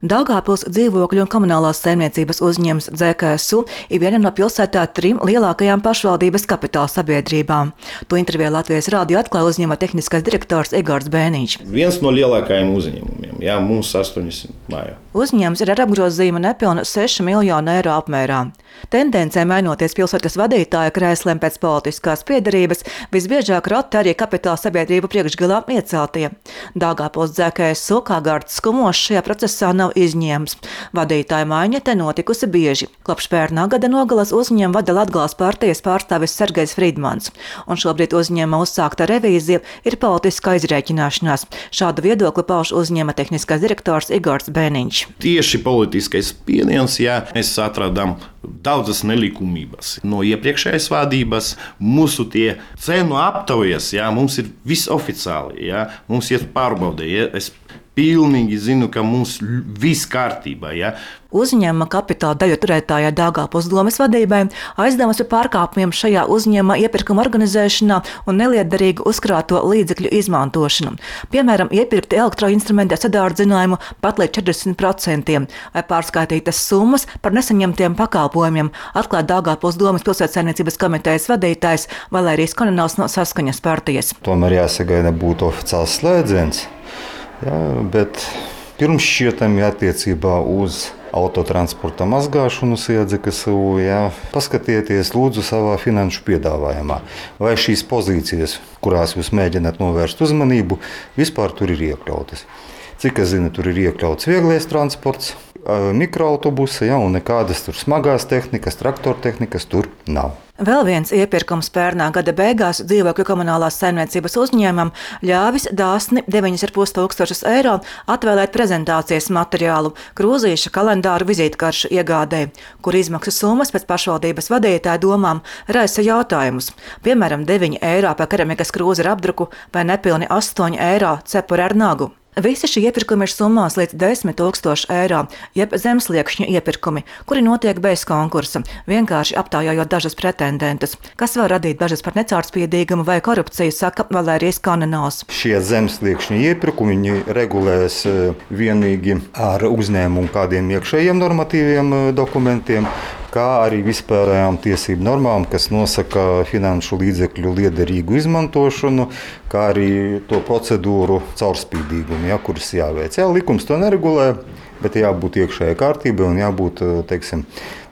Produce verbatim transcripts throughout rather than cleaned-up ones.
Daugavpils dzīvokļu un komunālās saimniecības uzņēmums D K S U ir viena no pilsētā trim lielākajām pašvaldības kapitāla sabiedrībām. To intervijā Latvijas rādio atklāja uzņēmuma tehniskais direktors Igors Bēniņš. Viens no lielākajiem uzņēmumiem, jā, mums astoņsimt māju. Uzņēmums ir ar apgrozījumu nepilnu sešu miljonu eiro apmērā. Tendencē mainoties pilsētas vadītāja krēsliem pēc politiskās piederības, visbiežāk roti arī kapitāla sabiedrību priekšgalā ieceltie. Daugavpils D K S U kā Gārds Skumošs šajā procesā nav izņēmums. Vadītāja maiņa te notikusi bieži. Kopš pērnā gada nogalas uzņēmumu vada Latgales partijas pārstāvis Sergejs Frīdmans, un šobrīd uzņēmuma uzsākta revīzija ir politiskā izrēķināšanās. Šādu viedokli pauž uzņēmuma tehniskais direktors Igors Bēniņš. Tieši politiskais spiediens, jā, mēs atradām daudzas nelikumības. No iepriekšējās vadības mūsu tie cenu aptaujas, jā, mums ir viss oficiāli, jā, mums ir pārbaudē, jā, es pilnīgi zinu, ka mums viss kārtībā, jā. Uzņēmuma kapitāla daļu turētājai Daugavpils domes vadībai aizdevusi par pārkāpumiem šajā uzņēmuma iepirkuma organizēšanā un nelietderīgu uzkrāto līdzekļu izmantošanu. Piemēram, iepirkti elektroinstrumenti ar sadārdzinājumu pat līdz četrdesmit procentiem vai pārskaitītas summas par nesaņemtiem pakalpojumiem, atklāja Daugavpils domes pilsētsaimniecības komitejas vadītājs Valērijas Konenovs no Saskaņas partijas. Tomēr jāsagaida būtu oficiāls slēdziens, jā, bet pirms šķietami attiecībā uz autotransporta mazgāšanu D K S U, jā, paskatieties lūdzu savā finanšu piedāvājumā, vai šīs pozīcijas, kurās jūs mēģināt novērst uzmanību, vispār tur ir iekļautas. Cik es zinu, tur ir iekļauts vieglais transports, mikroautobusi, jā, un nekādas tur smagās tehnikas, traktortehnikas tur nav. Vēl viens iepirkums pērnā gada beigās dzīvokļu komunālās saimniecības uzņēmumam ļāvis dāsni deviņus ar pus tūkstošus eiro atvēlēt prezentācijas materiālu, krūzīša, kalendāru, vizītkaršu iegādē, kur izmaksas summas pēc pašvaldības vadītāja domām raisa jautājumus. Piemēram, deviņi eiro par keramikas krūzi ar apdruku vai nepilni astoņi eiro cepuri ar nagu. Visi šie iepirkumi ir summās līdz desmit tūkstoši eiro, jeb zemsliekšņu iepirkumi, kuri notiek bez konkursa, vienkārši aptaujājot dažas pretendentus, kas var radīt bažas par necaurspīdīgumu vai korupciju, saka Valērijas Konenovs. Šie zemsliekšņu iepirkumi viņi regulēs vienīgi ar uzņēmumu kādiem iekšējiem normatīviem dokumentiem, kā arī vispārējām tiesību normām, kas nosaka finanšu līdzekļu liederīgu izmantošanu, kā arī to procedūru caurspīdīgumu, ja, kuras jāveic. Jā, likums to neregulē, bet jābūt iekšējai kārtībai un jābūt, teiksim,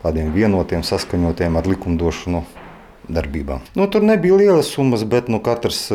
tādiem vienotiem, saskaņotiem ar likumdošanu darbībām. Nu, tur nebija lielas summas, bet nu, katrs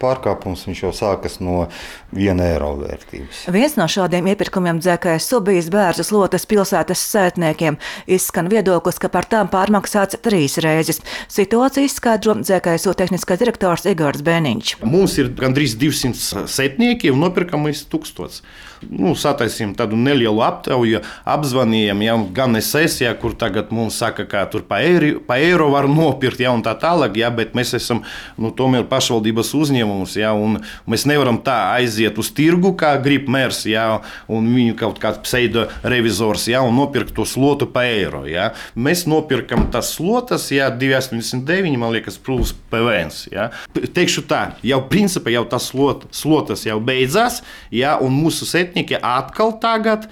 pārkāpums viņš jau sākas no viena eiro vērtības. Viens no šādiem iepirkumiem D K S U bijis Bērzu slotes pilsētas sētniekiem. Izskan viedoklis, ka par tām pārmaksāts trīs reizes. Situāciju izskaidro D K S U tehniskais direktors Igors Bēniņš. Mums ir gandrīz divsimt sētnieki un nopirkam līdz tūkstots. Nu, sataisījām tādu nelielu aptauju, apzvanījām, ja, gan es esmu, ja, kur tagad mums saka, ka tur pa eiro, pa eiro var nopirkt, ja, un tā tālāk, ja, bet mēs esam nu, tomēr pašvaldības uzņēmums, ja, un mēs nevaram tā aiziet uz tirgu, kā grib mērs, ja, un viņu kaut kāds pseido revizors, ja, un nopirkt to slotu pa eiro. Ja. Mēs nopirkam tas slotas, ja, divi astoņdesmit deviņi, man liekas, plus P V N. Ja. Teikšu tā, jau principā jau tas slot, slotas jau beidzās, ja, un mūsu sētnieki atkal tagad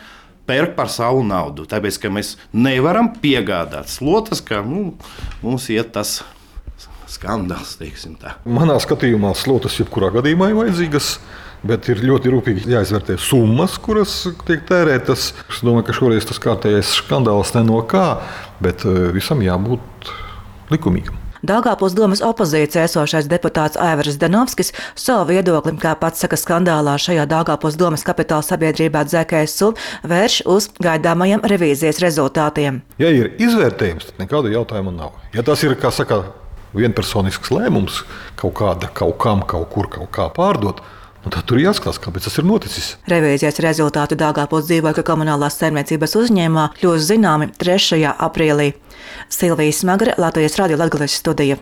pērk par savu naudu, tāpēc, ka mēs nevaram piegādāt slotas, ka nu, mums iet tas skandāls, teiksim tā. Manā skatījumā slotas jebkurā gadījumā ir vajadzīgas, bet ir ļoti rūpīgi jāizvērtē summas, kuras tiek tērētas. Es domāju, ka šoreiz tas kārtējais skandāls ne no kā, bet visam jābūt likumīgam. Daugavpils domes opozīcijā esošais deputāts Aivars Zdanovskis savu viedokli, kā pats saka, skandālā šajā Daugavpils domes kapitāla sabiedrībā D K S U vērš uz gaidāmajiem revīzijas rezultātiem. Ja ir izvērtējums, tad nekāda jautājuma nav. Ja tas ir, kā saka, vienpersonisks lēmums kaut kāda, kaut kam, kaut kur, kaut kā pārdot, nu tad tur jāskatās, kāpēc tas ir noticis. Revīzijas rezultāti Daugavpils dzīvokļu komunālās saimniecības uzņēmumā kļūs zināmi trešajā aprīlī. Silvija Smagre, Latvijas rādio Latgales studija.